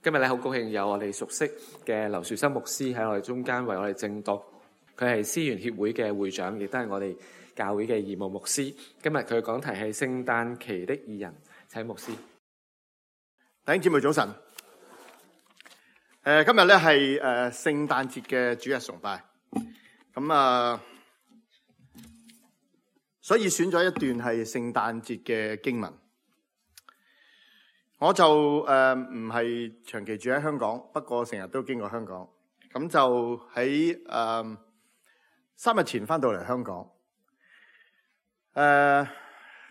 今日咧好高興有我哋熟悉嘅劉樹森牧師喺我哋中間為我哋證道。佢係思源協會嘅會長，亦都係我哋教會嘅義務牧師。今日佢嘅講題係聖誕期的義人，請牧師。弟兄姊妹早晨。今日咧係聖誕節嘅主日崇拜。咁所以選咗一段係聖誕節嘅經文。我就唔係長期住喺香港，不過成日都經過香港。咁就喺3日前翻到嚟香港。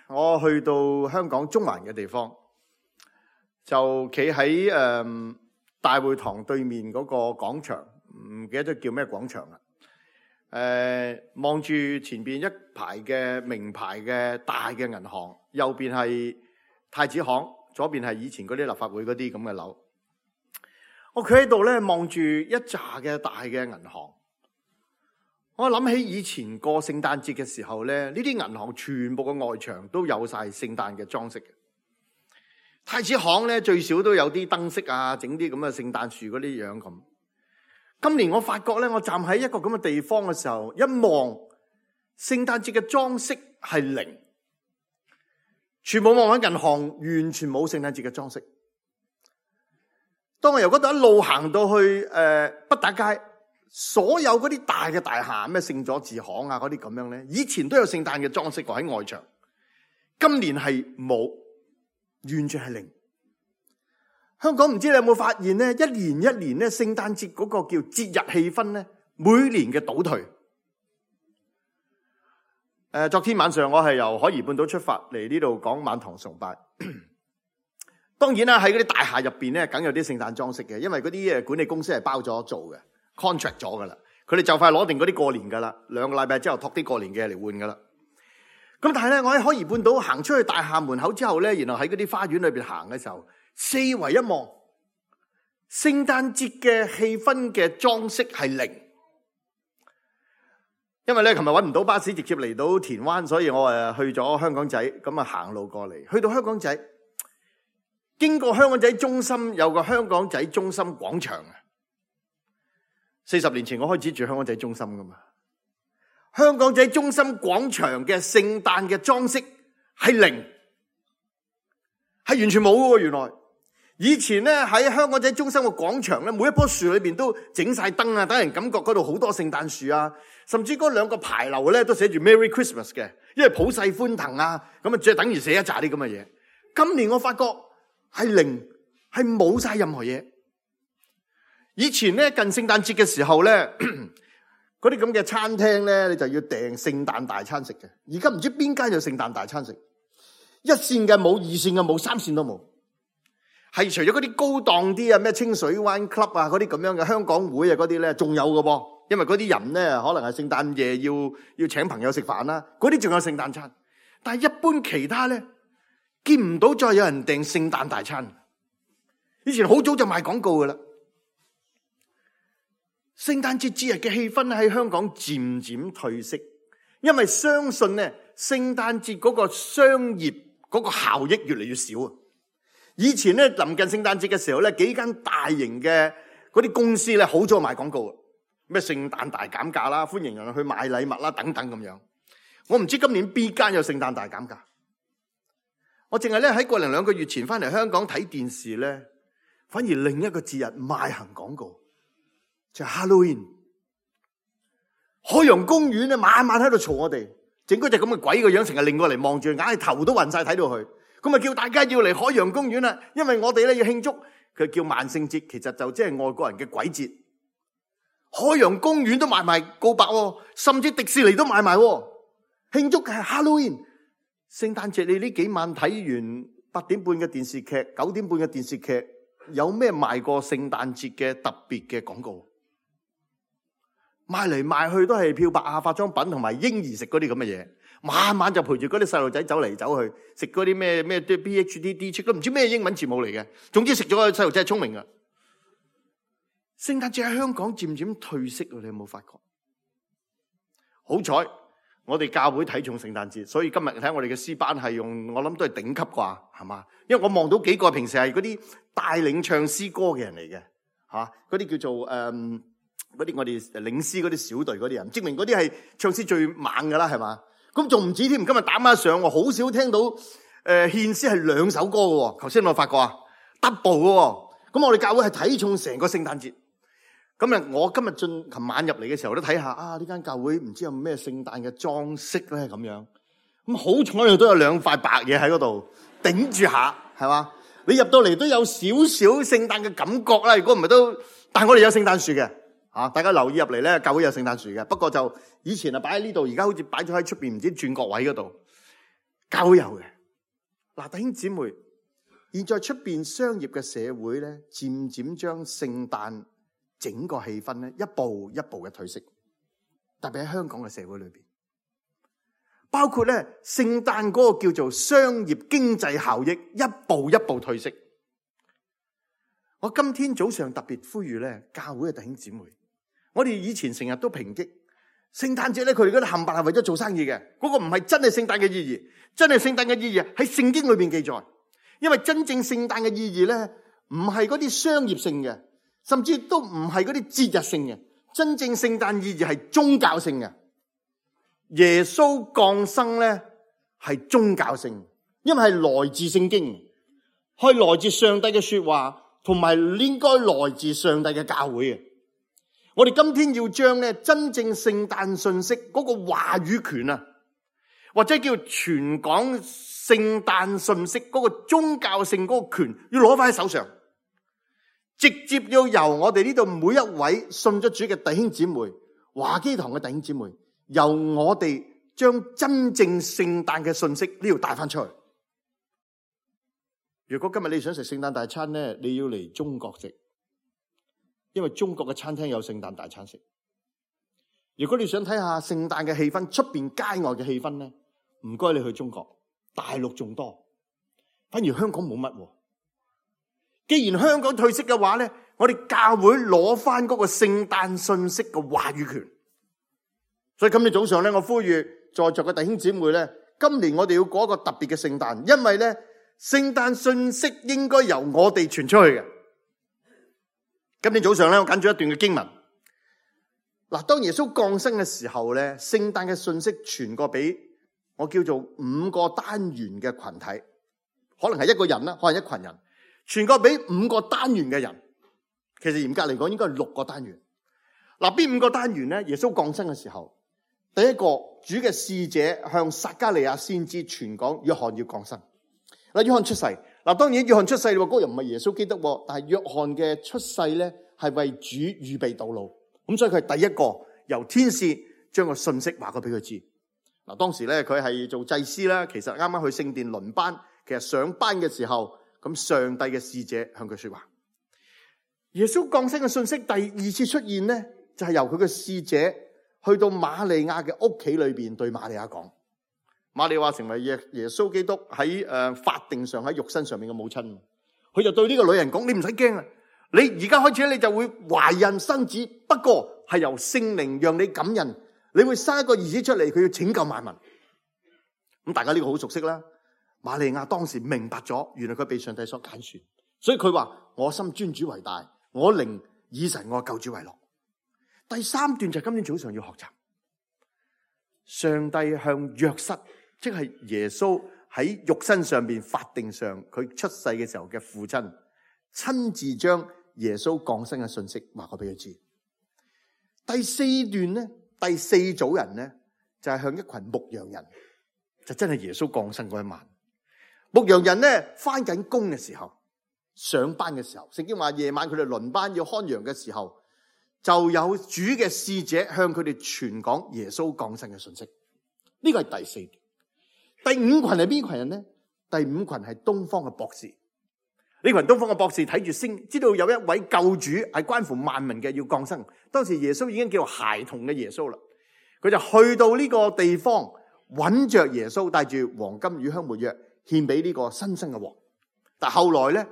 我去到香港中環嘅地方，就企喺大會堂對面嗰個廣場，唔記得咗叫咩廣場啦。望住前邊一排嘅名牌嘅大嘅銀行，右邊係太子行，左邊係以前嗰啲立法會嗰啲咁嘅樓。我企喺度咧，望住一紮嘅大嘅銀行。我諗起以前過聖誕節嘅時候咧，呢啲銀行全部嘅外牆都有晒聖誕嘅裝飾嘅。太子行咧最少都有啲燈飾啊，整啲咁嘅聖誕樹嗰啲樣咁。今年我發覺咧，我站喺一個咁嘅地方嘅時候，一望聖誕節嘅裝飾係零，全部望喺銀行，完全冇聖誕節嘅裝飾。當我由嗰度一路行到去畢打街，所有嗰啲大嘅大廈，咩聖佐治行啊嗰啲咁樣咧，以前都有聖誕嘅裝飾喺外牆，今年係冇，完全係零。香港唔知你有冇發現咧，一年一年咧，聖誕節嗰個叫節日氣氛咧，每年嘅倒退。昨天晚上我係由海怡半島出發嚟呢度講晚堂崇拜。當然啦，喺嗰啲大廈入邊咧，梗有啲聖誕裝飾嘅，因為嗰啲管理公司係包咗做嘅 ，contract 咗噶啦。佢哋就快攞定嗰啲過年噶啦，2個禮拜之後托啲過年嘅嚟換噶啦。咁但係咧，我喺海怡半島行出去大廈門口之後咧，然後喺嗰啲花園裏邊行嘅時候，四圍一望，聖誕節嘅氣氛嘅裝飾係零。因為咧，琴日搵唔到巴士直接嚟到田灣，所以我去咗香港仔，咁行路過嚟，去到香港仔，經過香港仔中心有個香港仔中心廣場啊。40年前我開始住香港仔中心噶嘛，香港仔中心廣場嘅聖誕嘅裝飾係零，係完全冇嘅喎。原來以前咧喺香港仔中心嘅廣場咧，每一棵樹裏邊都整晒燈啊，等人感覺嗰度好多聖誕樹啊，甚至嗰2個牌樓咧都寫住 Merry Christmas 嘅，因為普世歡騰啊，咁即係等於寫一紮啲咁嘅嘢。今年我發覺係零，係冇晒任何嘢。以前咧近聖誕節嘅時候咧，嗰啲咁嘅餐廳咧，你就要訂聖誕大餐食嘅。而家唔知邊間有聖誕大餐食，一線嘅冇，2線嘅冇，3線都冇。係除咗嗰啲高檔啲啊，咩清水灣 club 啊，嗰啲咁樣嘅香港會啊，嗰啲咧仲有嘅噃。因為嗰啲人咧可能係聖誕夜要請朋友食飯啦，嗰啲仲有聖誕餐。但係一般其他咧，見唔到再有人訂聖誕大餐。以前好早就賣廣告噶啦。聖誕節節日嘅氣氛喺香港漸漸退色，因為相信咧聖誕節嗰個商業嗰個效益越嚟越少啊。以前咧臨近聖誕節嘅時候咧，幾間大型嘅嗰啲公司咧好早賣廣告，咩聖誕大減價啦，歡迎人去買禮物啦，等等咁樣。我唔知今年邊間有聖誕大減價。我淨係咧喺1-2個月前翻嚟香港睇電視咧，反而另一個節日賣行廣告，就係 Halloween。海洋公園咧晚晚喺度嘈我哋，整嗰隻咁嘅鬼個樣，成日擰過嚟望住，硬係頭都暈晒睇到佢。咁啊叫大家要嚟海洋公園啦，因為我哋咧要慶祝，佢叫萬聖節，其實就即係外國人嘅鬼節。海洋公園都賣埋告白，甚至迪士尼都賣埋，慶祝嘅係 Halloween。聖誕節你呢幾晚睇完8點半嘅電視劇、9點半嘅電視劇，有咩賣過聖誕節嘅特別嘅廣告？賣嚟賣去都係漂白啊、化妝品同埋嬰兒食嗰啲咁嘅嘢。晚晚就陪住嗰啲細路仔走嚟走去，食嗰啲咩 PhD 都唔知咩英文字母嚟嘅。總之食咗個細路仔係聰明㗎。聖誕節喺香港漸漸退色，你有冇發覺？好彩我哋教會睇重聖誕節，所以今日睇我哋嘅詩班係用，我諗都係頂級啩，係嘛？因為我望到幾個平時係嗰啲帶領唱詩歌嘅人嚟嘅，嗰啲叫做嗰啲我哋領詩嗰啲小隊嗰啲人，證明嗰啲係唱詩最猛噶啦，係嘛？咁仲唔止添，今日打孖上，我好少聽到獻詩係2首歌嘅，頭先我發覺啊 double 嘅，咁我哋教會係睇重成個聖誕節。咁啊，我今日琴晚入嚟嘅時候都睇下啊，呢間教會唔知有咩聖誕嘅裝飾咧咁樣。咁好彩都有2塊白嘢喺嗰度頂住下，係嘛？你入到嚟都有少少聖誕嘅感覺啦。如果唔係都，但係我哋有聖誕樹嘅，大家留意入嚟咧，教會有聖誕樹嘅。不過就以前啊擺喺呢度，而家好似擺咗喺出邊唔知轉角位嗰度。教會有嘅。嗱，弟兄姊妹，現在出邊商業嘅社會咧，漸漸將聖誕整個氣氛咧，一步一步嘅褪色，特別喺香港嘅社會裏邊，包括咧聖誕嗰個叫做商業經濟效益，一步一步褪色。我今天早上特別呼籲咧，教會嘅弟兄姊妹，我哋以前成日都抨擊聖誕節咧，佢哋嗰啲冚唪唥係為咗做生意嘅，嗰個唔係真係聖誕嘅意義，真係聖誕嘅意義喺聖經裏邊記載，因為真正聖誕嘅意義咧，唔係嗰啲商業性嘅。甚至都唔係嗰啲節日性嘅，真正聖誕意義係宗教性嘅。耶穌降生咧係宗教性，因為係來自聖經，係來自上帝嘅說話，同埋應該來自上帝嘅教會嘅。我哋今天要將咧真正聖誕信息嗰個話語權啊，或者叫傳講聖誕信息嗰個宗教性嗰個權，要攞翻喺手上。直接要由我哋呢度每一位信咗主嘅弟兄姊妹，華基堂嘅弟兄姊妹，由我哋將真正聖誕嘅信息呢度帶翻出去。如果今日你想食聖誕大餐咧，你要嚟中國食，因為中國嘅餐廳有聖誕大餐食。如果你想睇下聖誕嘅氣氛，出邊街外嘅氣氛咧，唔該你去中國，大陸仲多，反而香港冇乜。既然香港褪色嘅話咧，我哋教會攞翻嗰個聖誕信息嘅話語權。所以今日早上咧，我呼籲在座嘅弟兄姊妹咧，今年我哋要過一個特別嘅聖誕，因為咧聖誕信息應該由我哋傳出去嘅。今年早上咧，我揀咗一段嘅經文。嗱，當耶穌降生嘅時候咧，聖誕嘅信息傳過俾我叫做5個單元嘅群體，可能係一個人啦，可能一群人。傳過俾5個單元嘅人，其實嚴格嚟講應該係6個單元。嗱，邊5個單元咧？耶穌降生嘅時候，第一個主嘅使者向撒迦利亞先知傳講約翰要降生。嗱，約翰出世。嗱，當然約翰出世嗰個又唔係耶穌基督，但係約翰嘅出世咧係為主預備道路。咁所以佢係第一個由天使將個信息話過俾佢知。嗱，當時咧佢係做祭司啦，其實啱啱去聖殿輪班，其實上班嘅時候。咁上帝嘅使者向佢說話。耶穌降生嘅信息第2次出現咧，就係由佢嘅使者去到瑪利亞嘅屋企裏邊對瑪利亞講。瑪利亞成為耶穌基督喺法定上喺肉身上面嘅母親，佢就對呢個女人講：你唔使驚啊，你而家開始咧，你就會懷孕生子，不過係由聖靈讓你感孕，你會生一個兒子出嚟，佢要拯救萬民。咁大家呢個好熟悉啦。瑪利亞當時明白咗，原來佢被上帝所揀選，所以佢話：我心尊主為大，我靈以神我救主為樂。第3段就係今天早上要學習，上帝向約瑟，即係耶穌喺肉身上邊法定上佢出世嘅時候嘅父親，親自將耶穌降生嘅信息話過俾佢知。第4段咧，第4組人咧就係向一群牧羊人，就真係耶穌降生嗰一晚。牧羊人咧翻緊工嘅時候，上班嘅時候，聖經話夜晚佢哋輪班要看羊嘅時候，就有主嘅使者向佢哋傳講耶穌降生嘅信息。呢個係第4段。第5群係邊群人咧？第5群係東方嘅博士。呢群東方嘅博士睇住星，知道有一位救主係關乎萬民嘅要降生。當時耶穌已經叫做孩童嘅耶穌啦，佢就去到呢個地方揾着耶穌，帶住黃金、乳香、沒藥獻俾呢個新生嘅王。但後來咧，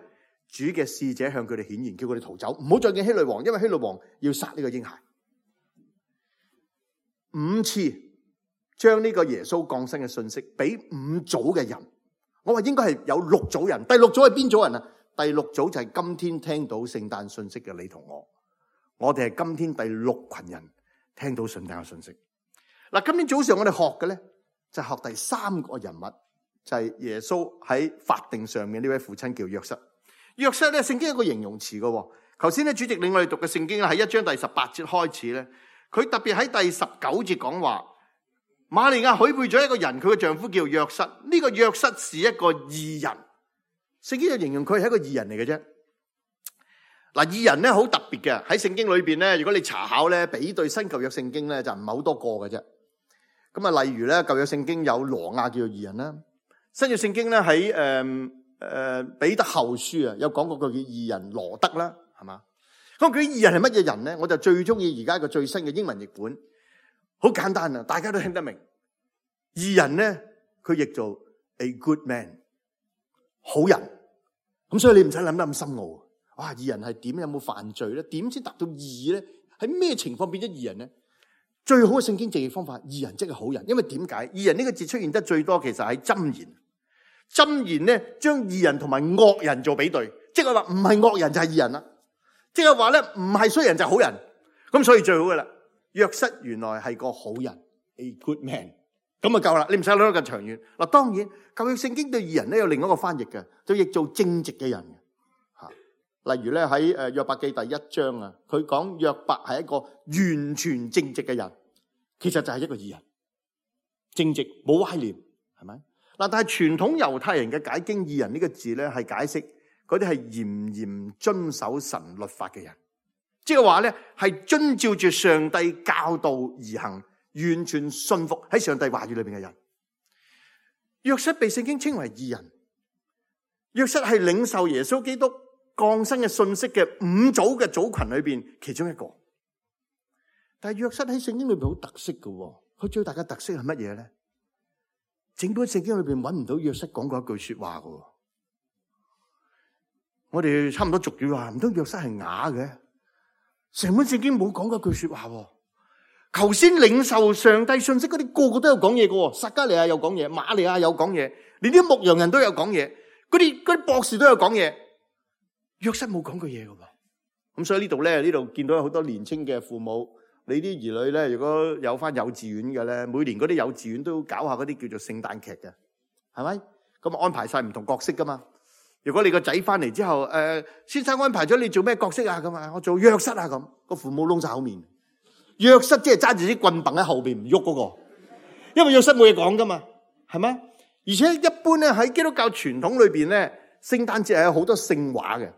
主嘅使者向佢哋顯現，叫佢哋逃走，唔好再見希律王，因為希律王要殺呢個嬰孩。5次將呢個耶穌降生嘅信息俾5組嘅人。我話應該係有6組人。第6組係邊組人啊？第6組就係今天聽到聖誕信息嘅你同我。我哋係今天第6群人聽到聖誕嘅信息。嗱，今天早上我哋學嘅咧就係學第3個人物，就係耶穌喺法定上面呢位父親叫約瑟。約瑟咧，聖經有個形容詞嘅。頭先咧，主席領我哋讀嘅聖經咧，喺1章第18節開始咧，佢特別喺第19節講話，瑪利亞許配咗一個人，佢嘅丈夫叫約瑟。呢個約瑟是一個義人，聖經就形容佢係一個義人嚟嘅啫。嗱，義人咧好特別嘅，喺聖經裏邊咧，如果你查考咧，比對新舊約聖經咧，就唔係好多個嘅啫。咁啊，例如咧，舊約聖經有挪亞叫做義人啦，新約聖經咧喺彼得後書啊，有講過個叫義人羅德啦，係嘛？咁佢義人係乜嘢人咧？我就最中意而家一個最新嘅英文譯本，好簡單啊，大家都聽得明。義人咧，佢譯做 a good man， 好人。咁所以你唔使諗得咁深奧。哇，義人係點？有冇犯罪咧？點先達到義咧？喺咩情況變咗義人咧？最好嘅聖經直譯方法，義人即係好人。因為點解？義人呢個字出現得最多，其實喺箴言。箴言咧，將義人同埋惡人做比對，即係話唔係惡人就係義人啦。即係話咧，唔係衰人就係好人。咁所以最好嘅啦，約瑟原來係個好人 ，a good man， 咁就夠啦。你唔使諗得咁長遠。嗱，當然舊約聖經對義人咧有另一個翻譯嘅，就譯做正直嘅人。吓，例如咧喺約伯記第1章啊，佢講約伯係一個完全正直嘅人，其實就係一個義人，正直冇歪念，係咪？嗱，但係傳統猶太人嘅解經義人呢個字咧，係解釋嗰啲係嚴嚴遵守神律法嘅人，即係話咧係遵照住上帝教導而行，完全信服喺上帝話語裏邊嘅人。約瑟被聖經稱為義人，約瑟係領受耶穌基督降生嘅信息嘅5組嘅組群裏邊其中一個。但係約瑟喺聖經裏邊好特色嘅，佢最大嘅特色係乜嘢咧？整本聖經裏邊揾唔到約瑟講過一句說話嘅。我哋差唔多俗語話，唔通約瑟係啞嘅？成本聖經冇講過一句說話。頭先領受上帝信息嗰啲個個都有講嘢嘅，撒迦利亞有講嘢，瑪利亞有講嘢，連啲牧羊人都有講嘢，嗰啲博士都有講嘢。約瑟冇講過嘢嘅。咁所以呢度見到有好多年青嘅父母。你啲兒女咧，如果有翻幼稚園嘅咧，每年嗰啲幼稚園都搞下嗰啲叫做聖誕劇嘅，係咪？咁安排晒唔同角色噶嘛。如果你個仔翻嚟之後，先生安排咗你做咩角色啊？咁啊，我做約瑟啊咁。個父母窿晒口面。約瑟即係揸住啲棍棒喺後邊唔喐嗰個，因為約瑟冇嘢講噶嘛，係咪？而且一般咧喺基督教傳統裏邊咧，聖誕節係有好多聖畫嘅。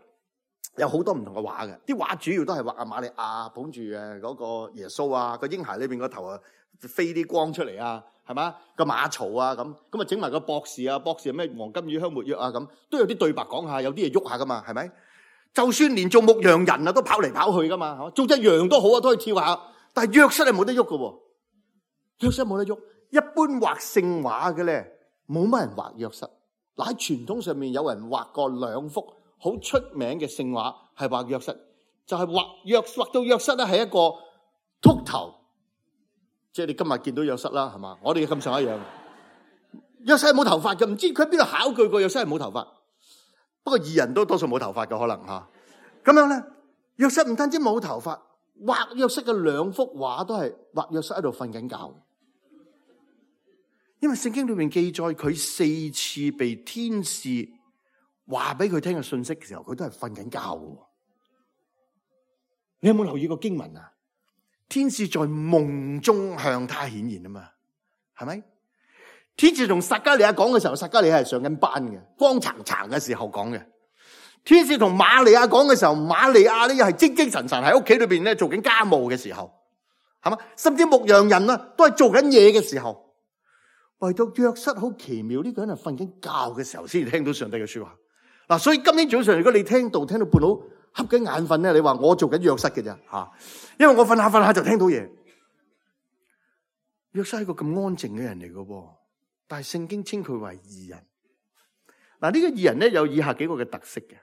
有好多唔同嘅畫嘅，啲畫主要都係畫阿瑪利亞捧住嗰個耶穌啊，個嬰孩裏邊個頭啊飛啲光出嚟啊，係嘛？個馬槽啊咁啊整埋個博士啊，博士係咩黃金乳香沒藥啊咁，都有啲對白講下，有啲嘢喐下噶嘛，係咪？就算連做牧羊人啊都跑嚟跑去噶嘛，做隻羊都好啊，都可以跳下。但係約瑟係冇得喐噶喎，約瑟冇得喐。一般畫聖畫嘅咧，冇乜人畫約瑟。嗱，喺傳統上面有人畫過2幅。好出名嘅聖畫係畫約瑟，就係畫到約瑟咧係一個禿頭，即係你今日見到約瑟啦，係嘛？我哋咁上一樣。約瑟係冇頭髮嘅，唔知佢喺邊度考據過約瑟係冇頭髮。不過義人都多數冇頭髮嘅可能吓。咁樣咧，約瑟唔單止冇頭髮，畫約瑟嘅2幅畫都係畫約瑟喺度瞓緊覺。因為聖經裏面記載佢4次被天使話俾佢聽嘅信息嘅時候，佢都係瞓緊覺嘅。你有冇留意過經文啊？天使在夢中向他顯現啊嘛，係咪？天使同撒迦利亞講嘅時候，撒迦利亞係上緊班嘅，光燦燦嘅時候講嘅。天使同瑪利亞講嘅時候，瑪利亞咧又係精精神神喺屋企裏邊咧做緊家務嘅時候，係嘛？甚至牧羊人啊都係做緊嘢嘅時候，唯獨約瑟好奇妙，呢個人係瞓緊覺嘅時候先至聽到上帝嘅說話。嗱，所以今天早上如果你聽到半路瞌緊眼瞓咧，你話我做緊約瑟嘅啫吓，因為我瞓下就聽到嘢。約瑟係一個咁安靜嘅人嚟嘅，但係聖經稱佢為義人。嗱，呢個義人咧有以下幾個嘅特色嘅。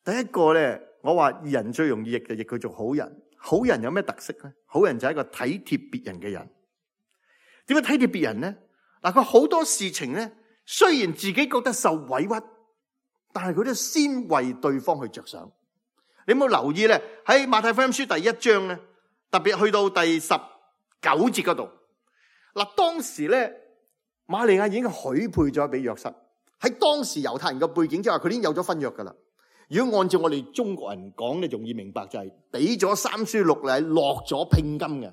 第一個咧，我話義人最容易譯佢做好人。好人有咩特色咧？好人就係一個體貼別人嘅人。點樣體貼別人呢？嗱，佢好多事情咧，雖然自己覺得受委屈，但係佢都先為對方去着想。你有冇留意咧？喺馬太福音書第1章咧，特別去到第19節嗰度，嗱，當時咧，瑪利亞已經許配咗俾約瑟。喺當時猶太人嘅背景之下，佢已經有咗婚約噶啦。如果按照我哋中國人講咧，容易明白就係俾咗3書6禮，落咗聘金嘅。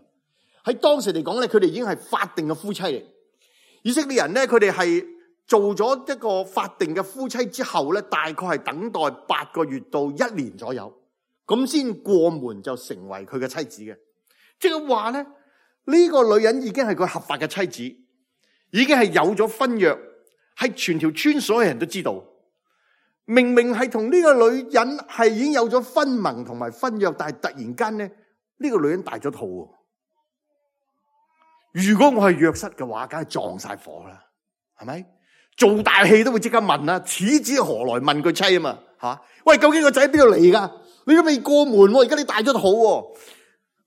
喺當時嚟講咧，佢哋已經係法定嘅夫妻嚟。以色列人咧，佢哋係做咗一個法定嘅夫妻之後咧，大概係等待8個月到1年左右，咁先過門就成為佢嘅妻子嘅。即係話咧，呢個女人已經係佢合法嘅妻子，已經係有咗婚約，係全條村所有人都知道。明明係同呢個女人係已經有咗婚盟同埋婚約，但係突然間咧，呢個女人大咗肚。如果我係約瑟嘅話，梗係撞晒火啦，係咪？做大戲都會即刻問啦，此子何來問佢妻啊嘛，吓？喂，究竟個仔邊度嚟噶？你都未過門，而家你大咗肚，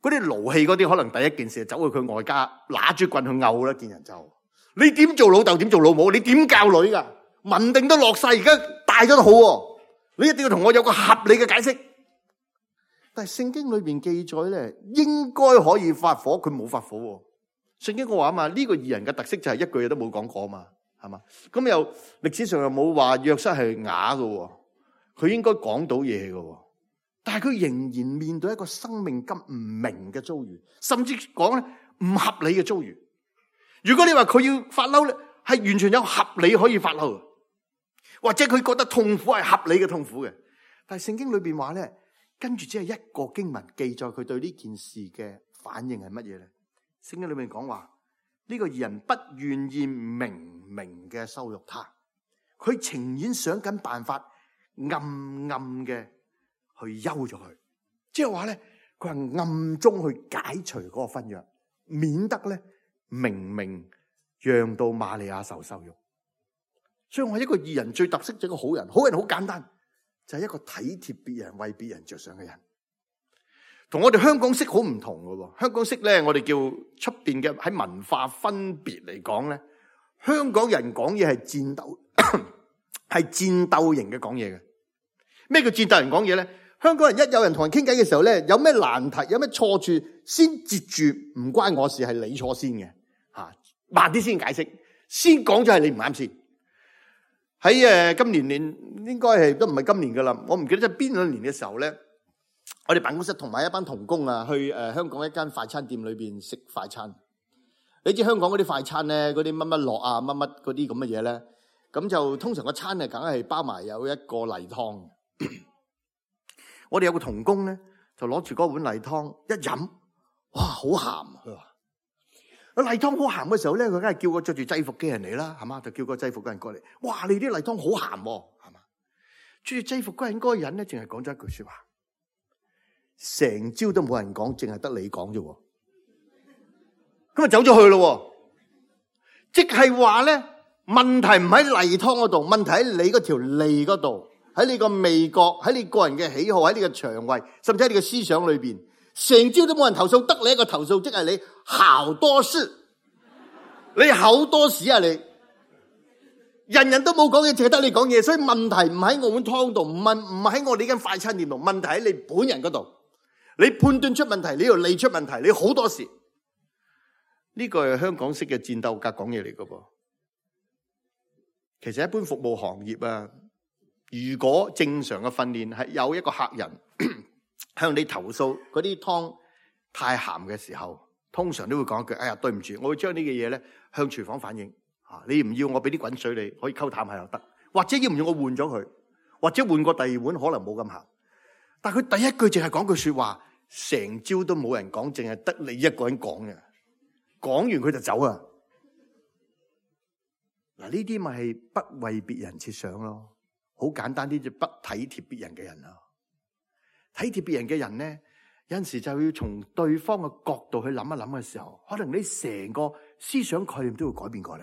嗰啲勞氣嗰啲，可能第一件事就走去佢外家，拿住棍去毆啦，見人就。你點做老豆？點做老母？你點教女噶？文定都落晒，而家大咗肚，你一定要同我有個合理嘅解釋。但係聖經裏邊記載咧，應該可以發火，佢冇發火。聖經我話啊嘛，呢個義人嘅特色就係一句嘢都冇講過啊嘛，係嘛？咁又歷史上又冇話約瑟係啞嘅，佢應該講到嘢嘅，但係佢仍然面對一個生命咁唔明嘅遭遇，甚至講咧唔合理嘅遭遇。如果你話佢要發嬲咧，係完全有合理可以發嬲，或者佢覺得痛苦係合理嘅痛苦嘅。但係聖經裏邊話咧，跟住只係一個經文記載佢對呢件事嘅反應係乜嘢咧？聖經裏面講話，呢個義人不願意明明嘅羞辱他，佢情願想緊辦法暗暗嘅去休咗佢，即係話咧，佢係暗中去解除嗰個婚約，免得咧明明讓到瑪利亞受羞辱。所以我話一個義人最特色就係一個好人，好人好簡單，就係一個體貼別人、為別人着想嘅人。同我哋香港式好唔同嘅喎，香港式咧，我哋叫出邊嘅喺文化分別嚟講咧，香港人講嘢係戰鬥，係戰鬥型嘅講嘢嘅。咩叫戰鬥型講嘢咧？香港人一有人同人傾偈嘅時候咧，有咩難題、有咩錯處，先截住唔關我事，係你錯先嘅嚇，慢啲先解釋，先講咗係你唔啱先。喺今年應該係都唔係今年噶啦，我唔記得咗邊兩年嘅時候咧。我哋辦公室同埋一班同工啊，去香港一間快餐店裏邊食快餐。你知香港嗰啲快餐咧，嗰啲乜乜樂啊，乜乜嗰啲咁嘅嘢咧，咁就通常個餐係梗係包埋有一個例湯。我哋有個同工咧，就攞住嗰碗例湯一飲，哇，好鹹！佢話例湯好鹹嘅時候咧，佢梗係叫個着住制服嘅人嚟啦，係嘛？就叫個制服嘅人過嚟。哇，你啲例湯好鹹，係嘛？着住制服嗰人嗰個人咧，淨係講咗一句說話。成朝都冇人講，淨係得你講啫。咁啊走咗去咯，即係話咧，問題唔喺例湯嗰度，問題喺你嗰條脷嗰度，喺你個味覺，喺你個人嘅喜好，喺你嘅腸胃，甚至喺你嘅思想裏邊。成朝都冇人投訴，得你一個投訴，即係你好多事，你好多事啊你！人人都冇講嘢，淨係得你講嘢，所以問題唔喺我碗湯度，唔喺我呢間快餐店度，問題喺你本人嗰度。你判斷出問題，你又理出問題，你好多事。呢個係香港式嘅戰鬥格講嘢嚟噶噃。其實一般服務行業啊，如果正常嘅訓練係有一個客人向你投訴嗰啲湯太鹹嘅時候，通常都會講一句：哎呀，對唔住，我會將呢個嘢咧向廚房反映。你唔要我俾啲滾水你，可以溝淡下又得，或者要唔要我換咗佢，或者換個第二碗可能冇咁鹹。但佢第一句淨係講句說話，成朝都冇人講，淨係得你一個人講嘅。講完佢就走啊！嗱，呢啲咪係不為別人設想咯，好簡單啲就不體貼別人嘅人咯。體貼別人嘅人咧，有陣時就要從對方嘅角度去諗一諗嘅時候，可能你成個思想概念都要改變過嚟。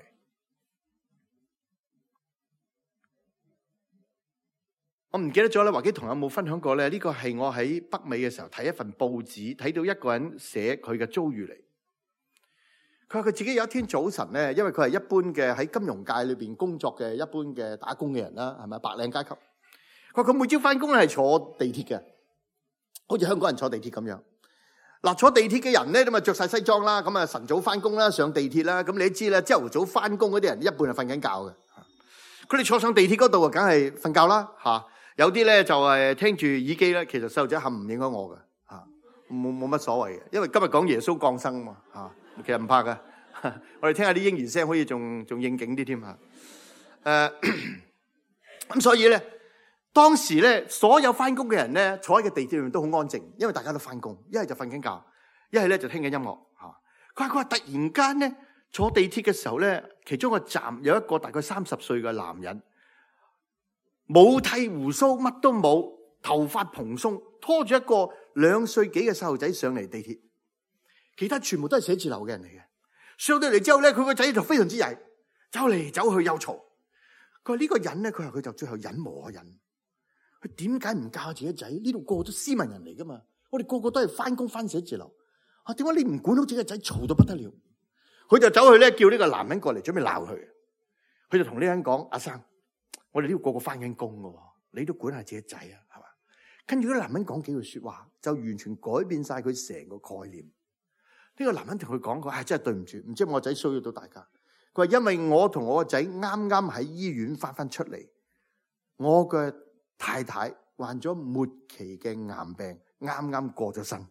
我唔記得咗咧，華基同有冇分享過咧？呢個係我喺北美嘅時候睇一份報紙，睇到一個人寫佢嘅遭遇嚟。佢話佢自己有一天早晨咧，因為佢係一般嘅喺金融界裏邊工作嘅一般嘅打工嘅人啦，係咪白領階級？佢話佢每朝翻工咧係坐地鐵嘅，好似香港人坐地鐵咁樣。嗱，坐地鐵嘅人咧，咁啊着晒西裝啦，咁啊晨早翻工啦，上地鐵啦。咁你都知啦，朝頭早翻工嗰啲人一半係瞓緊覺嘅。佢哋坐上地鐵嗰度啊，梗係瞓覺啦嚇。有啲咧就係聽住耳機啦。其實細路仔冚唔影響我嘅嚇，冇乜所謂嘅，因為今日講耶穌降生啊嘛嚇，其實唔怕嘅。我哋聽下啲嬰兒聲，可以仲應景啲添嚇。咁所以咧，當時咧所有翻工嘅人咧，坐喺個地鐵裏面都好安靜，因為大家都翻工，一係就瞓緊覺，一係咧就聽緊音樂嚇。佢話突然間咧坐地鐵嘅時候咧，其中個站有一個大概30歲嘅男人，冇剃鬍鬚，乜都冇，頭髮蓬鬆，拖住一個2歲幾嘅細路仔上嚟地鐵，其他全部都係寫字樓嘅人嚟嘅。上到嚟之後咧，佢個仔就非常之曳，走嚟走去又嘈。佢話呢個人咧，佢就最後忍無可忍。佢點解唔教自己仔？呢度個個都斯文人嚟噶嘛，我哋個個都係翻工翻寫字樓。啊，點解你唔管好自己個仔，嘈到不得了？佢就走去咧叫呢個男人過嚟，準備鬧佢。佢就同呢個人講：阿生，我哋呢度個個翻緊工噶，你都管下自己仔啊，係嘛？跟住呢個男人講幾句說話，就完全改變晒佢成個概念。呢個男人同佢講：佢真係對唔住，唔知我仔騷擾到大家。佢話因為我同我個仔啱啱喺醫院翻出嚟，我嘅太太患咗末期嘅癌病，啱啱過咗身。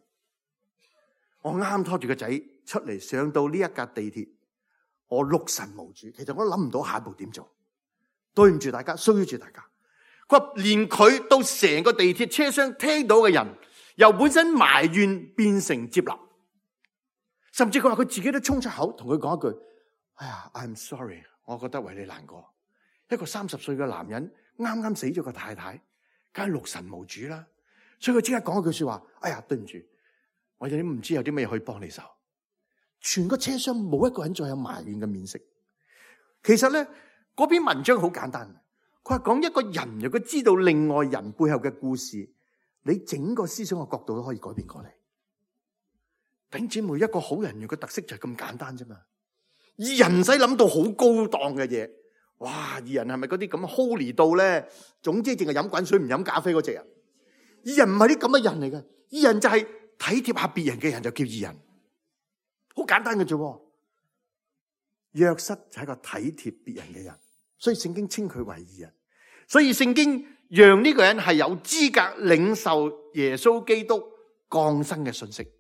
我啱拖住個仔出嚟，上到呢一架地鐵，我六神無主。其實我諗唔到下一步點做，對唔住大家，騷擾住大家。佢話連佢到成個地鐵車廂聽到嘅人，由本身埋怨變成接納。甚至佢話佢自己都衝出口同佢講一句：哎呀 ，I'm sorry， 我覺得為你難過。一個30歲嘅男人啱啱死咗個太太，梗係六神無主啦。所以佢即刻講一句說話：哎呀，對唔住，我哋都唔知有啲咩可以幫你手。全個車廂冇一個人再有埋怨嘅面色。其實咧，嗰篇文章好簡單，佢係講一個人如果知道另外人背後嘅故事，你整個思想嘅角度都可以改變過嚟。弟兄姊妹，一個好人嘅特色就係咁簡單啫嘛。義人唔使諗到好高檔嘅嘢。哇！義人係咪嗰啲咁 holy 到咧？總之淨係飲滾水唔飲咖啡嗰隻人。義人唔係啲咁嘅人嚟嘅。義人就係體貼下別人嘅人就叫義人。好簡單嘅啫。約瑟就係一個體貼別人嘅人，所以聖經稱佢為義人。所以聖經讓呢個人係有資格領受耶穌基督降生嘅信息。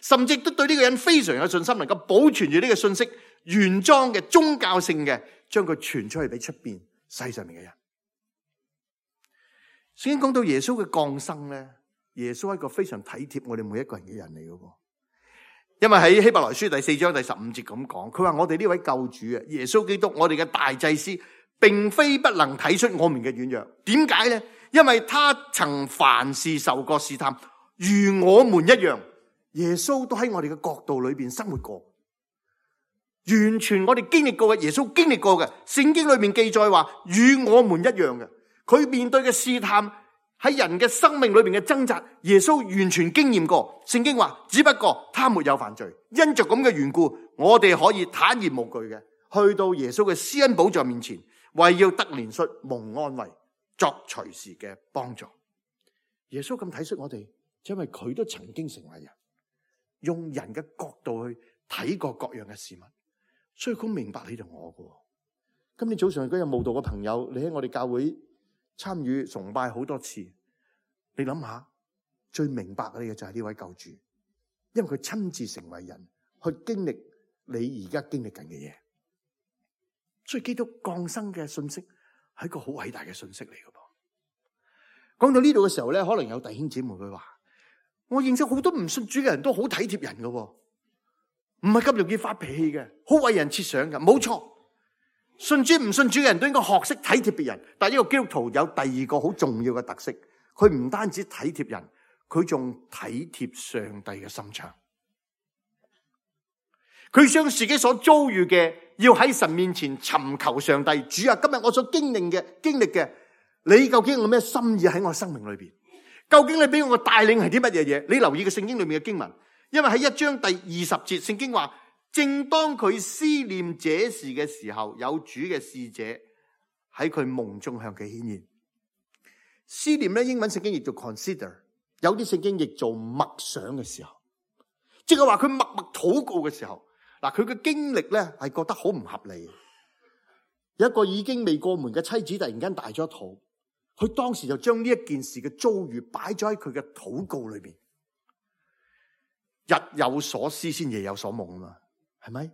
甚至都對呢個人非常有信心，能夠保存住呢個信息原裝嘅宗教性嘅，將佢傳出去俾出邊世上面嘅人。聖經講到耶穌嘅降生咧，耶穌係一個非常體貼我哋每一個人嘅人嚟嘅。因為喺希伯來書第4章第15節咁講，佢話我哋呢位救主啊，耶穌基督，我哋嘅大祭司，並非不能睇出我們嘅軟弱。點解咧？因為他曾凡事受過試探，如我們一樣。耶穌都喺我哋嘅國度裏邊生活過，完全我哋經歷過嘅，耶穌經歷過嘅。聖經裏面記載話，與我們一樣嘅。佢面對嘅試探，喺人嘅生命裏邊嘅掙扎，耶穌完全經驗過。聖經話，只不過他沒有犯罪，因着咁嘅緣故，我哋可以坦然無懼嘅去到耶穌嘅施恩寶座面前，為要得憐恤、蒙安慰、作隨時嘅幫助。耶穌咁體恤我哋，因為佢都曾經成為人。用人嘅角度去睇過各樣嘅事物，所以佢明白你同我嘅。今天早上嗰日慕道嘅朋友，你喺我哋教會參與崇拜好多次，你諗下，最明白你嘅就係呢位救主，因為佢親自成為人，去經歷你而家經歷緊嘅嘢。所以基督降生嘅信息係一個好偉大嘅信息嚟嘅噃。講到呢度嘅時候咧，可能有弟兄姊妹會話，我認識好多唔信主嘅人都好體貼人嘅，唔係咁容易發脾氣嘅，好為人設想嘅。冇錯，信主唔信主嘅人都應該學識體貼別人。但係呢個基督徒有第二個好重要嘅特色，佢唔單止體貼人，佢仲體貼上帝嘅心腸。佢將自己所遭遇嘅，要喺神面前尋求上帝。主啊，今日我所經歷嘅，你究竟有咩心意喺我生命裏邊？究竟你俾我嘅帶領係啲乜嘢嘢？你留意嘅聖經裏面嘅經文，因為喺1章第20節，聖經話正當佢思念這事嘅時候，有主嘅使者喺佢夢中向佢顯現。思念咧，英文聖經譯做 consider， 有啲聖經譯做默想嘅時候，即係話佢默默禱告嘅時候。嗱，佢嘅經歷咧係覺得好唔合理。有一個已經未過門嘅妻子突然間大咗肚，佢當時就將呢一件事嘅遭遇擺咗喺佢嘅禱告裏邊。日有所思先夜有所夢啊嘛，係咪？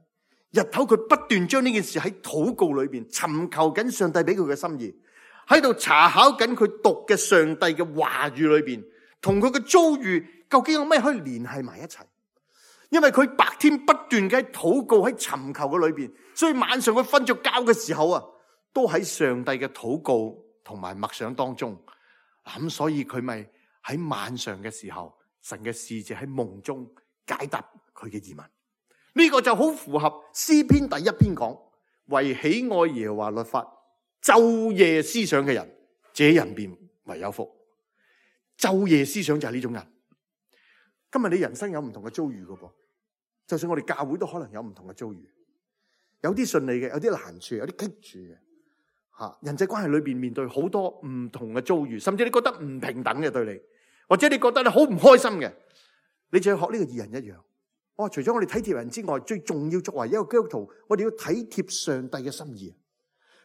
日頭佢不斷將呢件事喺禱告裏邊尋求緊上帝俾佢嘅心意，喺度查考緊佢讀嘅上帝嘅話語裏邊，同佢嘅遭遇究竟有咩可以聯繫埋一齊？因為佢白天不斷嘅喺禱告喺尋求嘅裏邊，所以晚上佢瞓着覺嘅時候啊，都喺上帝嘅禱告同埋默想當中。咁所以佢咪喺晚上嘅時候，神嘅使者喺夢中解答佢嘅疑問。呢個就好符合詩篇第1篇講，為喜愛耶和華律法晝夜思想嘅人，這人便為有福。晝夜思想就係呢種人。今日你人生有唔同嘅遭遇噶噃，就算我哋教會都可能有唔同嘅遭遇，有啲順利嘅，有啲難處，有啲棘住嘅。人際關係裏邊面對好多唔同嘅遭遇，甚至你覺得唔平等嘅對你，或者你覺得你好唔開心嘅，你就要學呢個義人一樣。我話除咗我哋體貼人之外，最重要作為一個基督徒，我哋要體貼上帝嘅心意，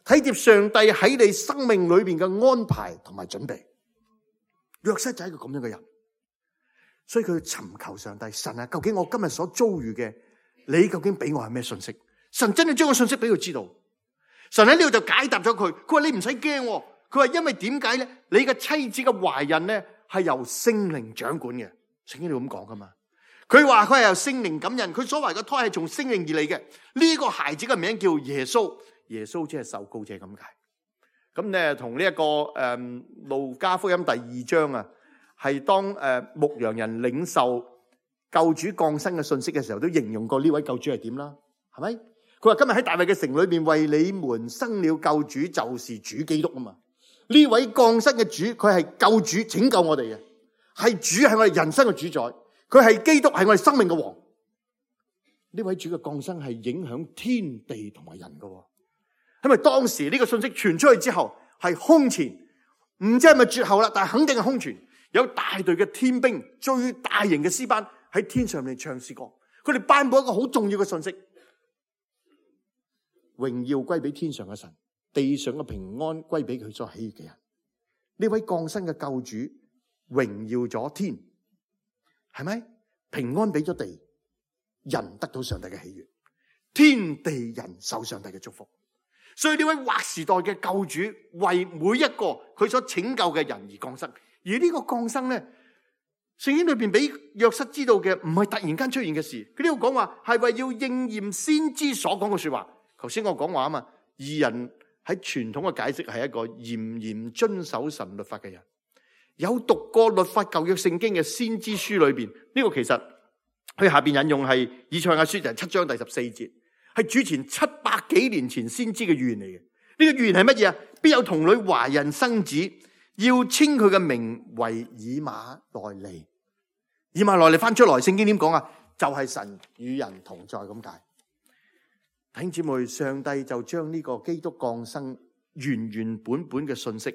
體貼上帝喺你生命裏邊嘅安排同埋準備。約瑟就係一個咁樣嘅人。所以佢尋求上帝，神啊，究竟我今日所遭遇嘅，你究竟俾我係咩信息？神真係將個信息俾佢知道。神喺呢度就解答咗佢，佢話你唔使驚，佢話因為點解咧？你嘅妻子嘅懷孕咧係由聖靈掌管嘅，聖經度咁講噶嘛。佢話佢係由聖靈感孕，佢所謂嘅胎係從聖靈而嚟嘅。呢個孩子嘅名叫耶穌，耶穌即係受膏者咁解。咁咧同呢一個路加福音第2章啊。係當牧羊人領受救主降生嘅信息嘅時候，都形容過呢位救主係點啦，係咪？佢話今日喺大衛嘅城裏邊為你們生了救主，就是主基督啊嘛。呢位降生嘅主，佢係救主，拯救我哋嘅，係主，係我哋人生嘅主宰，佢係基督，係我哋生命嘅王。呢位主嘅降生係影響天地同埋人嘅，因為當時呢個信息傳出去之後係空前，唔知係咪絕後啦，但係肯定係空傳。有大隊嘅天兵，最大型嘅詩班喺天上面唱詩歌，佢哋頒布一個好重要嘅信息：榮耀歸俾天上嘅神，地上嘅平安歸俾佢所喜悅嘅人。呢位降生嘅救主榮耀咗天，係咪？平安俾咗地，人得到上帝嘅喜悅，天地人受上帝嘅祝福。所以呢位劃時代嘅救主為每一個佢所拯救嘅人而降生。而呢個降生咧，聖經裏邊俾約瑟知道嘅唔係突然間出現嘅事，佢呢度講話係為要應驗先知所講嘅說話。頭先我講話啊嘛，義人喺傳統嘅解釋係一個嚴嚴遵守神律法嘅人。有讀過律法舊約聖經嘅先知書裏邊，呢個其實佢下邊引用係以賽亞書就係7章第14節，係主前700幾年前先知嘅預言嚟嘅。呢個預言係乜嘢啊？必有童女懷孕生子，要稱佢嘅名為以馬內利。以馬內利翻出來，聖經點講啊？就係神與人同在咁解。弟兄姊妹，上帝就將呢個基督降生原原本本嘅信息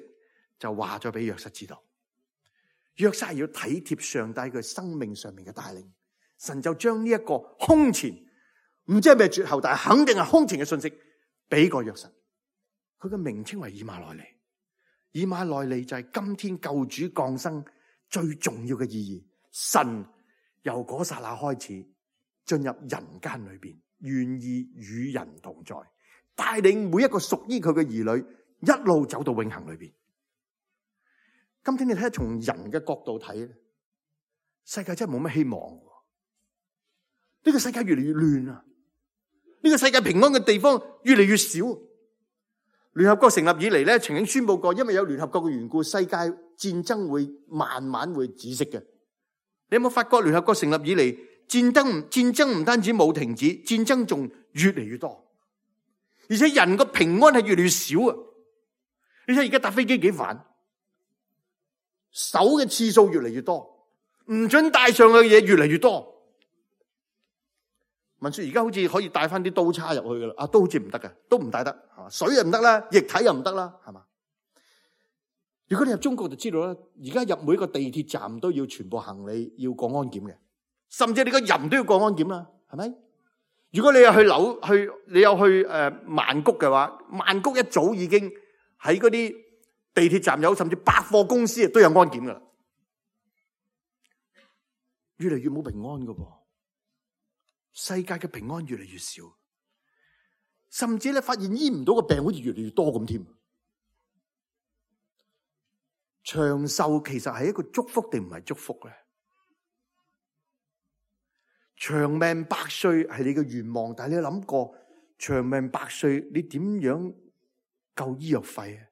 就話咗俾約瑟知道。約瑟係要體貼上帝佢生命上面嘅帶領，神就將呢一個空前唔知係咩絕後，但係肯定係空前嘅信息俾個約瑟。佢嘅名稱為以馬內利。以馬內利就係今天救主降生最重要嘅意義。神由嗰剎那開始進入人間裏邊，願意與人同在，帶領每一個屬於佢嘅兒女一路走到永恆裏邊。今天你睇下從人嘅角度睇，世界真係冇乜希望。呢個世界越嚟越亂啊！呢個世界平安嘅地方越嚟越少。聯合國成立以嚟咧，曾經宣布過，因為有聯合國嘅緣故，世界戰爭會慢慢會止息嘅。你有冇發覺聯合國成立以嚟，戰爭唔單止冇停止，戰爭仲越嚟越多，而且人個平安係越嚟越少啊！你睇而家搭飛機幾煩，手嘅次數越嚟越多，唔准帶上去嘅嘢越嚟越多。文說而家好似可以帶翻啲刀叉入去噶啦，都好似唔得嘅，都唔帶得，水又唔得啦，液體又唔得啦，係嘛？如果你入中國就知道啦，而家入每個地鐵站都要全部行李要過安檢嘅，甚至你個人都要過安檢啦，係咪？如果你有去曼谷嘅話，曼谷一早已經喺嗰啲地鐵站有，甚至百貨公司都有安檢噶啦，越嚟越冇平安噶噃，世界嘅平安越嚟越少，甚至咧發現醫唔到嘅病好似越嚟越多咁添。長壽其實係一個祝福定唔係祝福咧？長命百歲係你嘅願望，但係你有諗過長命百歲你點樣夠醫藥費啊？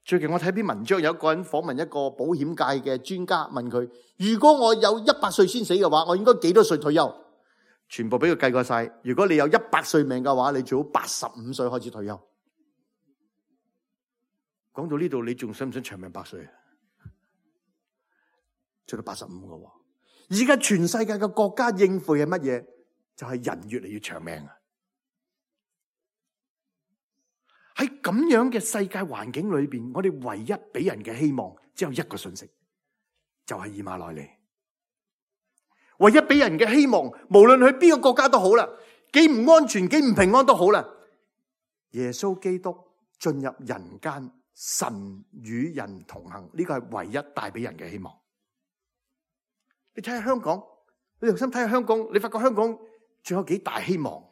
最近我睇篇文章，有一個人訪問一個保險界嘅專家，問佢：如果我有100歲先死嘅話，我應該幾多歲退休？全部俾佢計過晒。如果你有100歲命嘅話，你最好85歲開始退休。講到呢度，你仲想唔想長命百歲啊？做到85嘅喎。而家全世界嘅國家應付係乜嘢？就係人越嚟越長命啊！喺咁樣嘅世界環境裏邊，我哋唯一俾人嘅希望只有一個信息，就係以馬內利。唯一俾人嘅希望，無論去邊個國家都好啦，幾唔安全、幾唔平安都好啦，耶穌基督進入人間。神與人同行，呢個係唯一帶俾人嘅希望。你睇下香港，你留心睇下香港，你發覺香港仲有幾大希望。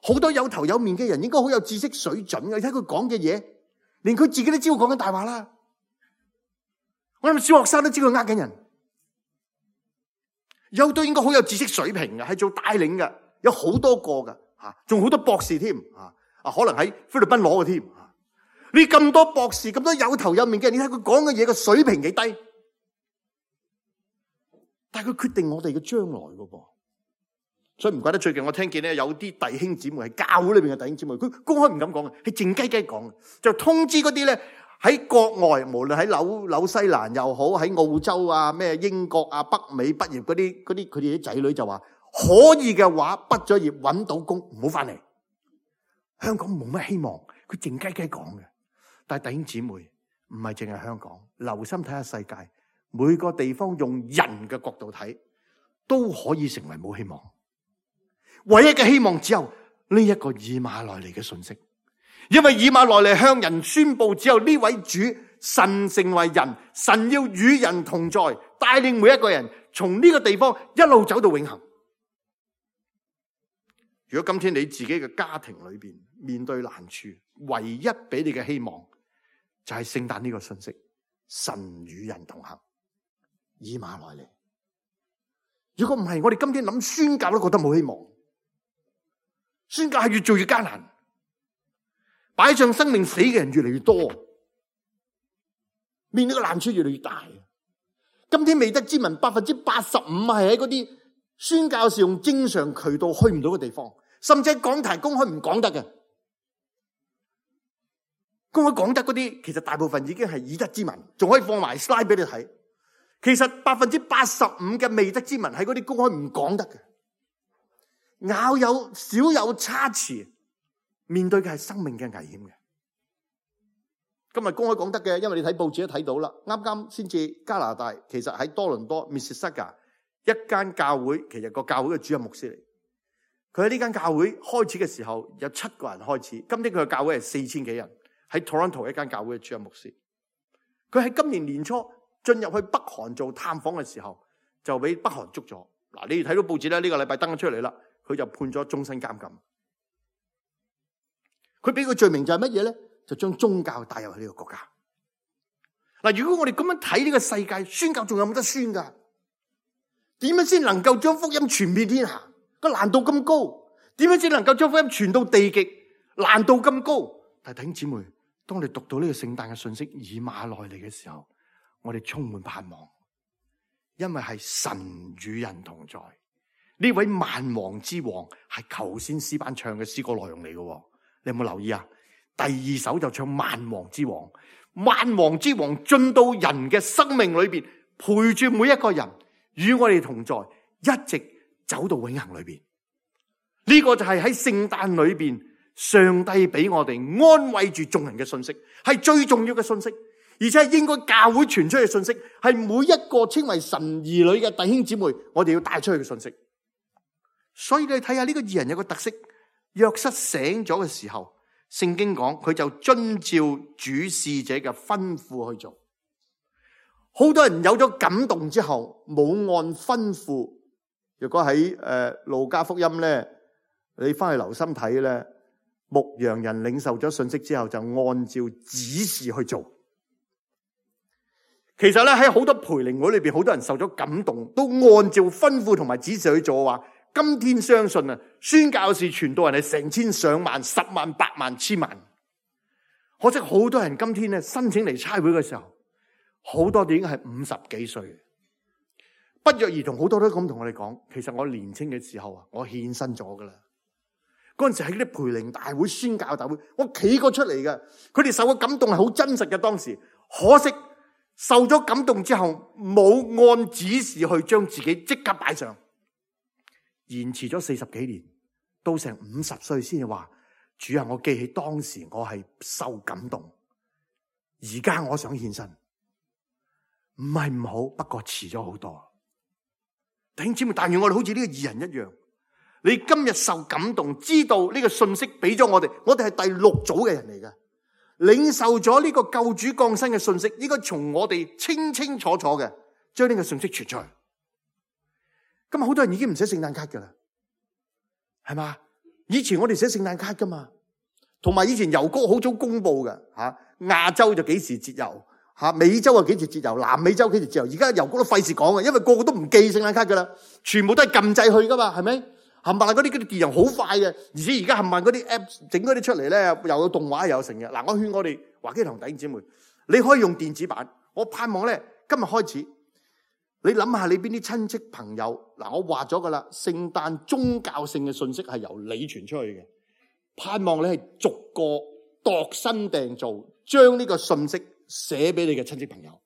好多有頭有面嘅人，應該好有知識水準嘅。你睇佢講嘅嘢，連佢自己都知道講緊大話啦。我諗小學生都知佢呃緊人。有都應該好有知識水平嘅，係做帶領嘅，有好多個嘅，仲好多博士添。可能喺菲律賓攞嘅添。你咁多博士，咁多有頭有面嘅人，你睇佢講嘅嘢嘅水平幾低，但係佢決定我哋嘅將來㗎噃。所以唔怪得最近我聽見咧，有啲弟兄姊妹係教會裏邊嘅弟兄姊妹，佢公開唔敢講嘅，係靜雞雞講嘅，就通知嗰啲咧喺國外，無論喺紐西蘭又好，喺澳洲啊、咩英國啊、北美畢業嗰啲佢哋啲仔女就話，可以嘅話畢咗業搵到工唔好翻嚟。香港冇乜希望，佢靜雞雞講嘅。但係弟兄姊妹唔係淨係香港，留心睇下世界，每個地方用人嘅角度睇，都可以成為冇希望。唯一嘅希望只有呢一個以馬內利嘅信息，因為以馬內利向人宣布，只有呢位主神成為人，神要與人同在，帶領每一個人從呢個地方一路走到永恆。如果今天你自己嘅家庭裏邊面對難處，唯一俾你嘅希望就係聖誕呢個信息，神與人同行，以馬內利。如果唔係，我哋今天諗宣教都覺得冇希望，宣教係越做越艱難，擺上生命死嘅人越嚟越多，面對嘅難處越嚟越大。今天未得之民85%係喺嗰啲宣教士用正常渠道去唔到嘅地方，甚至講台公開唔講得嘅，公開講得嗰啲，其實大部分已經係已得之民，仲可以放埋 slide 俾你睇。其實85%嘅未得之民喺嗰啲公開唔講得嘅，少有差池，面對嘅係生命嘅危險嘅。今日公開講得嘅，因為你睇報紙都睇到啦，啱啱先至加拿大，其實喺多倫多 Mississauga 一間教會，其實個教會嘅主任牧師嚟。佢喺呢間教會開始嘅時候有7個人開始，今天佢嘅教會係4000幾人，喺 Toronto 一間教會嘅主任牧師。佢喺今年年初進入去北韓做探訪嘅時候，就俾北韓捉咗。嗱，你哋睇到報紙咧，呢個禮拜登咗出嚟啦，佢就判咗終身監禁。佢俾個罪名就係乜嘢咧？就將宗教帶入去呢個國家。嗱，如果我哋咁樣睇呢個世界，宣教仲有冇得宣噶？點樣先能夠將福音傳遍天下？個難度咁高，點樣先能夠將福音傳到地極？難度咁高。但係弟兄姊妹，當你讀到呢個聖誕嘅信息以馬內利嘅時候，我哋充滿盼望，因為係神與人同在。呢位萬王之王係頭先詩班唱嘅詩歌內容嚟嘅，你有冇留意啊？第2首就唱萬王之王，萬王之王進到人嘅生命裏邊，陪住每一個人，與我哋同在，一直走到永恆裏邊。呢個就係喺聖誕裏邊，上帝俾我哋安慰住眾人嘅信息，係最重要嘅信息，而且係應該教會傳出去嘅信息，係每一個稱為神兒女嘅弟兄姊妹，我哋要帶出去嘅信息。所以你睇下呢個義人有個特色，約瑟醒咗嘅時候，聖經講佢就遵照主使者嘅吩咐去做。好多人有咗感動之後，冇按吩咐。如果喺路加福音咧，你翻去留心睇咧，牧羊人領受咗信息之後，就按照指示去做。其實咧喺好多培靈會裏邊，好多人受咗感動，都按照吩咐同埋指示去做嘅話，今天相信啊，宣教士傳道人係成千上萬、十萬、百萬、千萬。可惜好多人今天咧申請嚟差會嘅時候，好多都已經係50幾歲，不約而同，好多都咁同我哋講，其實我年輕嘅時候啊，我獻身咗噶啦。嗰陣時喺啲培靈大會、宣教大會，我企過出嚟嘅，佢哋受嘅感動係好真實嘅。當時可惜受咗感動之後，冇按指示去將自己即刻擺上，延遲咗40幾年，到成50歲先至話：主啊，我記起當時我係受感動，而家我想獻身。唔係唔好，不過遲咗好多。弟兄姊妹，但願我哋好似呢個義人一樣，你今日受感動，知道呢個信息俾咗我哋係第6組嘅人嚟嘅，領受咗呢個救主降生嘅信息，應該從我哋清清楚楚嘅將呢個信息傳出去。今日好多人已經唔寫聖誕卡噶啦，係嘛？以前我哋寫聖誕卡噶嘛，同埋以前郵局好早公布嘅吓，亞洲就幾時節郵。美洲啊幾時節郵，南美洲幾時節郵，而家郵局都費事講嘅，因為個個都唔寄聖誕卡噶啦，全部都係撳掣去噶嘛，係咪？冚唪唥嗰啲電郵好快嘅，而且而家冚唪唥嗰啲 app 整嗰啲出嚟咧，又有動畫又有成嘅。嗱，我勸我哋華基堂弟兄姊妹，你可以用電子版。我盼望咧，今日開始，你諗下你邊啲親戚朋友，嗱，我話咗噶啦，聖誕宗教性嘅信息係由你傳出去嘅，盼望你係逐個度身訂造，將呢個信息寫俾你嘅親戚朋友。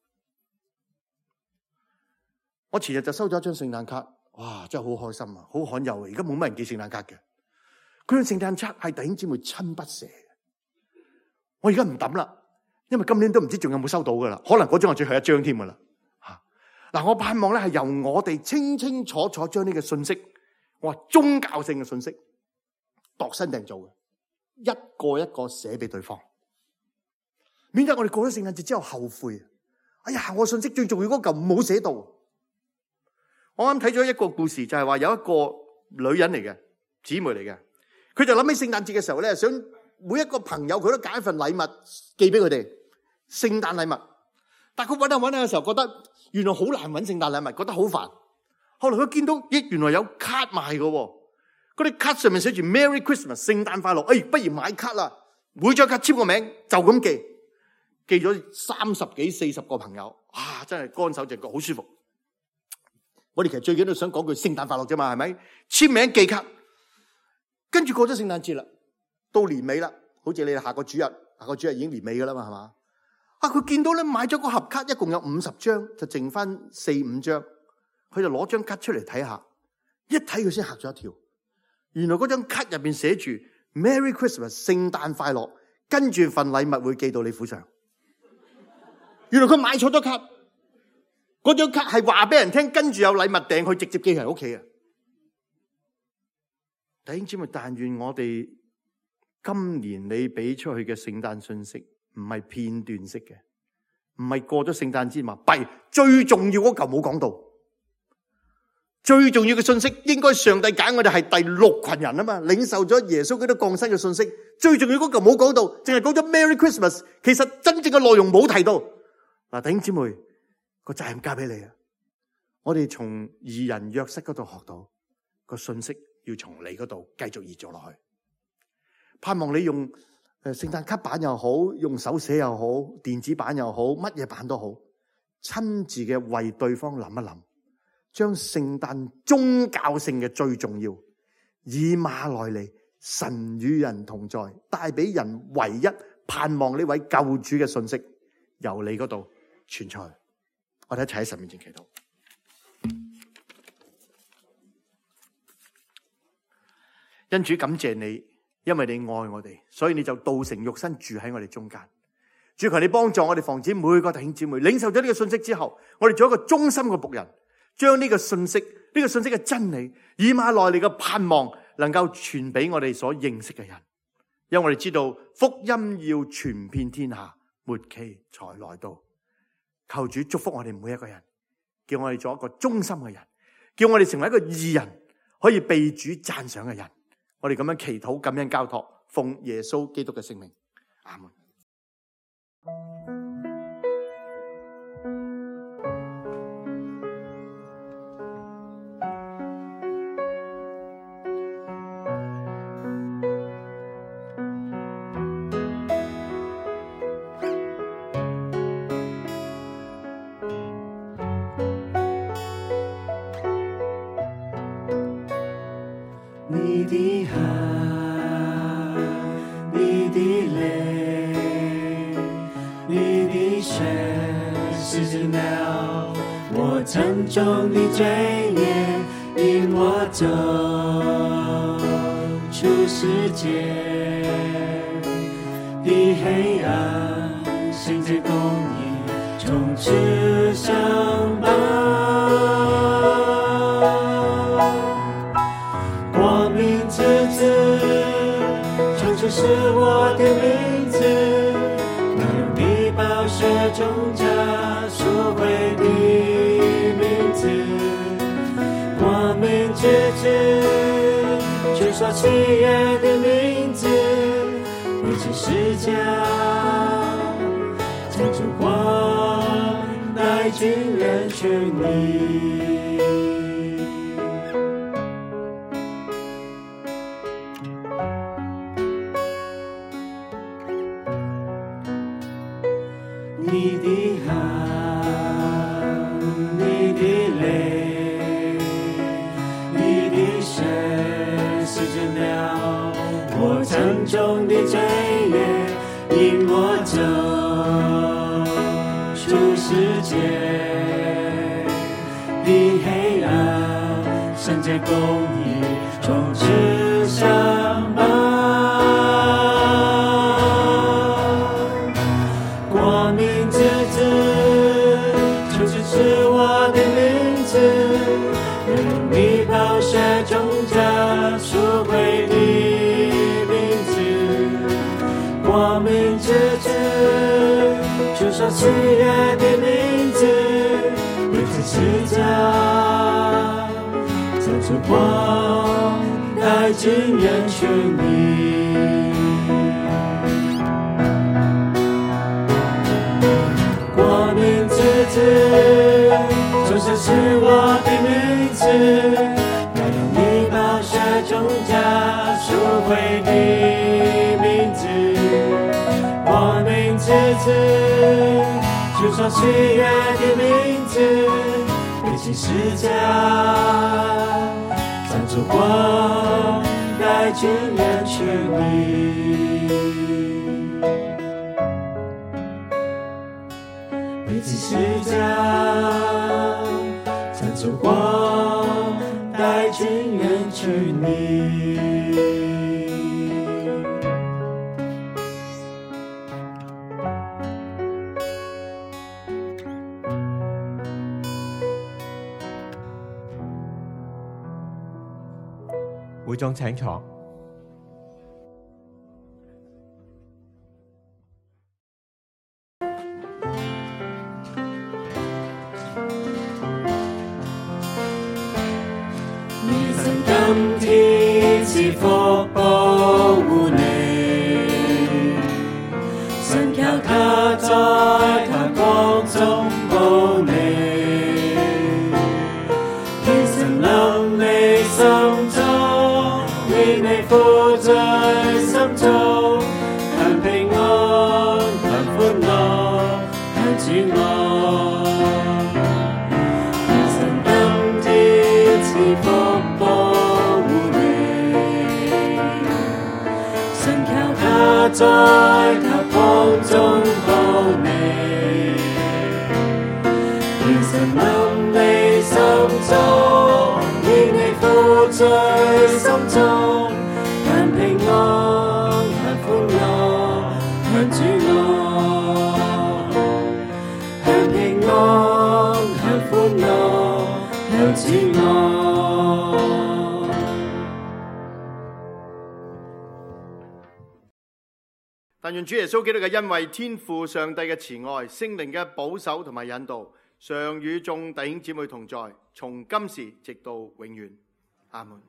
我前日就收咗一張聖誕卡，哇，真係好開心啊，好罕有啊！而家冇乜人寄聖誕卡嘅，佢張聖誕卡係弟兄姊妹親筆寫嘅。我而家唔抌啦，因為今年都唔知仲有冇收到噶啦，可能嗰張係最後一張添噶啦。嗱，我盼望咧係由我哋清清楚楚將呢個信息，我話宗教性嘅信息，度身訂造嘅，一個一個寫俾對方。免得我哋過咗聖誕節之後後悔。哎呀，我信息最重要嗰嚿冇寫到。我啱睇咗一個故事，就係話有一個女人嚟嘅，姊妹嚟嘅，佢就諗起聖誕節嘅時候咧，想每一個朋友佢都揀一份禮物寄俾佢哋，聖誕禮物。但係佢搵下嘅時候，覺得原來好難搵聖誕禮物，覺得好煩。後來佢見到，咦，原來有卡賣嘅，嗰啲卡上面寫住 Merry Christmas， 聖誕快樂。不如買卡啦，每張卡簽個名，就咁寄咗30幾40個朋友，真係乾手淨腳，好舒服。我哋其實最緊要想講句聖誕快樂啫嘛，係咪？簽名寄卡，跟住過咗聖誕節啦，到年尾啦，好似你下個主日已經年尾噶啦嘛，係嘛？佢見到咧買咗個盒卡，一共有50張，就剩翻4-5張，佢就攞張卡出嚟睇下，一睇佢先嚇咗一跳，原來嗰張卡入邊寫住 Merry Christmas， 聖誕快樂，跟住份禮物會寄到你府上。原來佢買錯咗卡，嗰張卡係話俾人聽，跟住有禮物訂，佢直接寄人屋企啊！弟兄姊妹，但願我哋今年你俾出去嘅聖誕信息唔係片段式嘅，唔係過咗聖誕節嘛，最重要嗰嚿冇講到，最重要嘅信息應該上帝揀我哋係第6群人啊嘛，領受咗耶穌基督降生嘅信息，最重要嗰嚿冇講到，淨係講咗 Merry Christmas， 其實真正嘅內容冇提到。嗱，弟兄姊妹，個責任交俾你啊！我哋從義人約瑟嗰度學到個信息，要從你嗰度繼續移做落去。盼望你用聖誕卡版又好，用手寫又好，電子版又好，乜嘢版都好，親自嘅為對方諗一諗，將聖誕宗教性嘅最重要，以馬內利，神與人同在，帶俾人唯一盼望呢位救主嘅信息，由你嗰度傳出去。我哋一齊喺神面前祈禱。因主感謝你，因為你愛我哋，所以你就道成肉身住喺我哋中間。主，求你幫助我哋，防止每個弟兄姊妹領受咗呢個信息之後，我哋做一個忠心嘅僕人，將呢個信息嘅真理，以馬內利嘅盼望，能夠傳俾我哋所認識嘅人。因為我哋知道福音要傳遍天下，末期才來到。求主祝福我哋每一個人，叫我哋做一個忠心嘅人，叫我哋成為一個義人，可以被主讚賞嘅人。我哋咁樣祈禱、感恩、交託，奉耶穌基督嘅聖名，阿門。你的汗，你的泪，你的血洗净了我沉重的罪孽，引我走出世界的黑暗，行在公义，从此上榜。是我的名字，那用你宝血中加赎回的名字，光明之子，就说喜悦的名字，为这世家将烛光带进人群里。你的汗，你的泪，你的血洗净了我沉重的罪孽，引我走出世界的黑暗，圣洁公义从此上榜。就说喜悦的名字，为这世家将烛光带进人群里。光明之子，就说是我的名字，那用你宝血中加赎回的名字。光明之子，就说喜悦的名字，背起十架，将烛光带进人群里。背起十架，将烛光带进人群里。會眾請坐。你曾甘甜賜福保護你，神靠他在他光中保你，天神臨你心中，令你富在心中，盼平安，盼歡樂，盼主愛。天神甘甜賜福保護你，神靠他在他光中保你，天神臨你心中，令你富在心中，寂寞。但願主耶穌基督嘅恩惠、天父上帝嘅慈愛、聖靈嘅保守同埋引導，常與眾弟兄姊妹同在，從今時直到永遠。阿門。